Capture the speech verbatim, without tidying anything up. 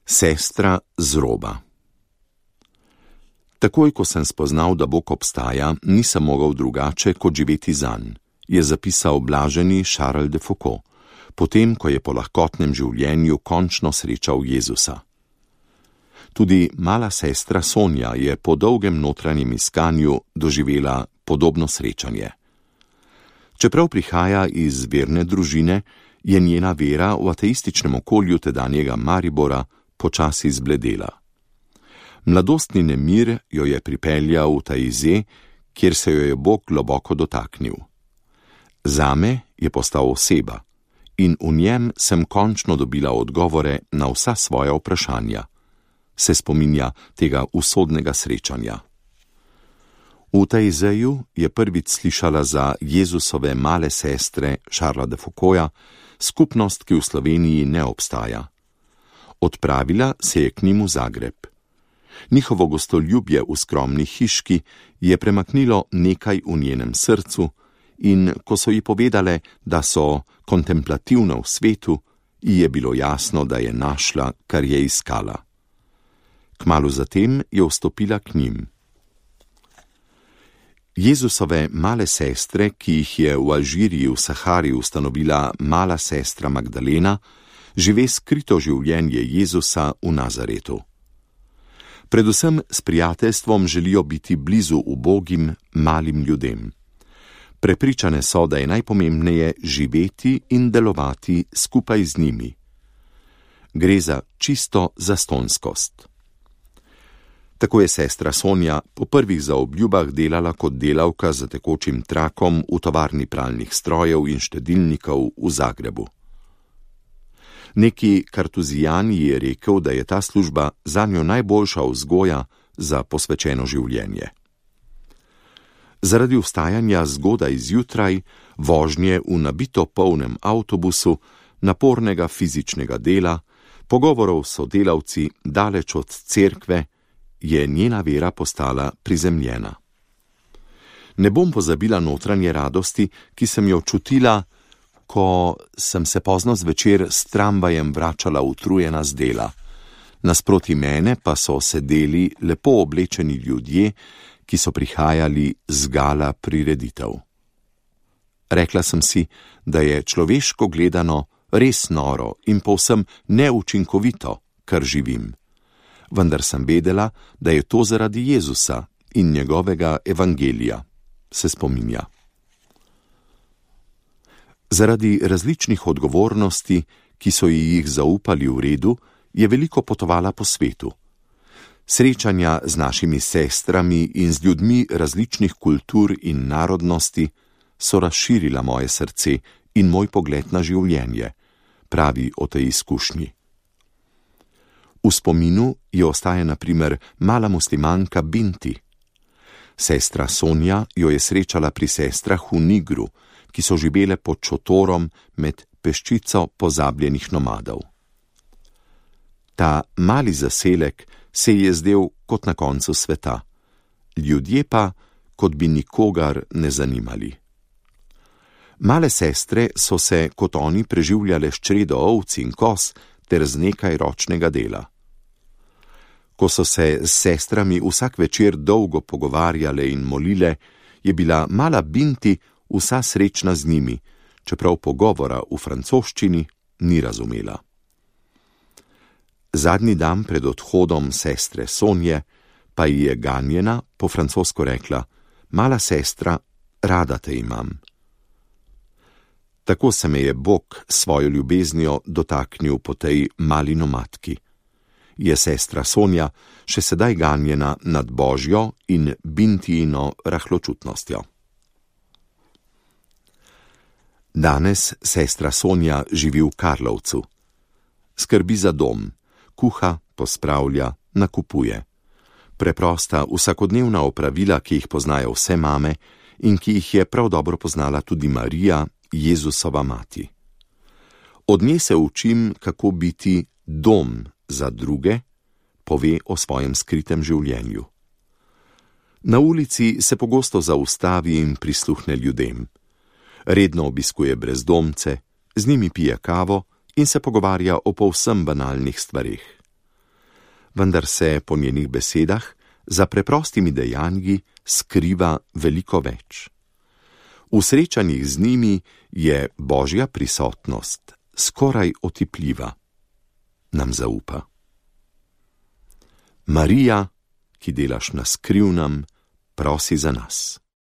Sestra z roba. Takoj, ko sem spoznal, da Bog obstaja, nisem mogel drugače, kot živeti zanj, je zapisal blaženi Charles de Foucault, potem, ko je po lahkotnem življenju končno srečal Jezusa. Tudi mala sestra Sonja je po dolgem notranjem iskanju doživela podobno srečanje. Čeprav prihaja iz verne družine, je njena vera v ateističnem okolju tedanjega Maribora počasi zbledela. Mladostni nemir jo je pripeljal v Taizé, kjer se jo je Bog globoko dotaknil. Zame je postal oseba in v njem sem končno dobila odgovore na vsa svoja vprašanja, se spominja tega usodnega srečanja. V Taizéju je prvič slišala za Jezusove male sestre Charlesa de Foucaulta, skupnost, ki v Sloveniji ne obstaja. Odpravila se je k njim v Zagreb. Njihovo gostoljubje v skromni hiški je premaknilo nekaj v njenem srcu in ko so ji povedale, da so kontemplativne v svetu, ji je bilo jasno, da je našla, kar je iskala. Kmalu zatem je vstopila k njim. Jezusove male sestre, ki jih je v Alžiriji v Sahari ustanovila mala sestra Magdalena, žive skrito življenje Jezusa v Nazaretu. Predvsem s prijateljstvom želijo biti blizu ubogim, malim ljudem. Prepričane so, da je najpomembneje živeti in delovati skupaj z njimi. Gre za čisto zastonskost. Tako je sestra Sonja po prvih zaobljubah delala kot delavka za tekočim trakom v tovarni pralnih strojev in štedilnikov v Zagrebu. Neki kartuzijan ji je rekel, da je ta služba zanjo najboljša vzgoja za posvečeno življenje. Zaradi vstajanja zgodaj zjutraj, vožnje v nabito polnem avtobusu, napornega fizičnega dela, pogovorov s sodelavci daleč od cerkve, je njena vera postala prizemljena. Ne bom pozabila notranje radosti, ki sem jo čutila, ko sem se pozno zvečer s tramvajem vračala utrujena z dela. Nasproti mene pa so sedeli lepo oblečeni ljudje, ki so prihajali z gala prireditev. Rekla sem si, da je človeško gledano res noro in povsem neučinkovito, kar živim. Vendar sem vedela, da je to zaradi Jezusa in njegovega evangelija, se spominja. Zaradi različnih odgovornosti, ki so ji jih zaupali v redu, je veliko potovala po svetu. Srečanja z našimi sestrami in z ljudmi različnih kultur in narodnosti so razširila moje srce in moj pogled na življenje, pravi o tej izkušnji. V spominu ji ostaja na primer mala muslimanka Binti. Sestra Sonja jo je srečala pri sestrah v Nigru, ki so živele pod šotorom med peščico pozabljenih nomadov. Ta mali zaselek se je zdel kot na koncu sveta, ljudje pa, kot bi nikogar ne zanimali. Male sestre so se kot oni preživljale s čredo ovc in koz ter z nekaj ročnega dela. Ko so se s sestrami vsak večer dolgo pogovarjale in molile, je bila mala Binti vsa srečna z njimi, čeprav pogovora v francoščini ni razumela. Zadnji dan pred odhodom sestre Sonje pa ji je ganjena po francosko rekla: "Mala sestra, rada te imam." Tako se me je Bog svojo ljubeznijo dotaknil po tej mali nomadki. Je sestra Sonja še sedaj ganjena nad Božjo in Bintijino rahločutnostjo. Danes sestra Sonja živi v Karlovcu. Skrbi za dom, kuha, pospravlja, nakupuje. Preprosta, vsakodnevna opravila, ki jih poznajo vse mame in ki jih je prav dobro poznala tudi Marija, Jezusova mati. Od nje se učim, kako biti dom za druge, pove o svojem skritem življenju. Na ulici se pogosto zaustavi in prisluhne ljudem. Redno obiskuje brezdomce, z njimi pije kavo in se pogovarja o povsem banalnih stvareh. vendar se po njenih besedah za preprostimi dejanji skriva veliko več. V srečanjih z njimi je Božja prisotnost skoraj otipljiva. Nam zaupa. Marija, ki delaš na skrivnem, prosi za nas.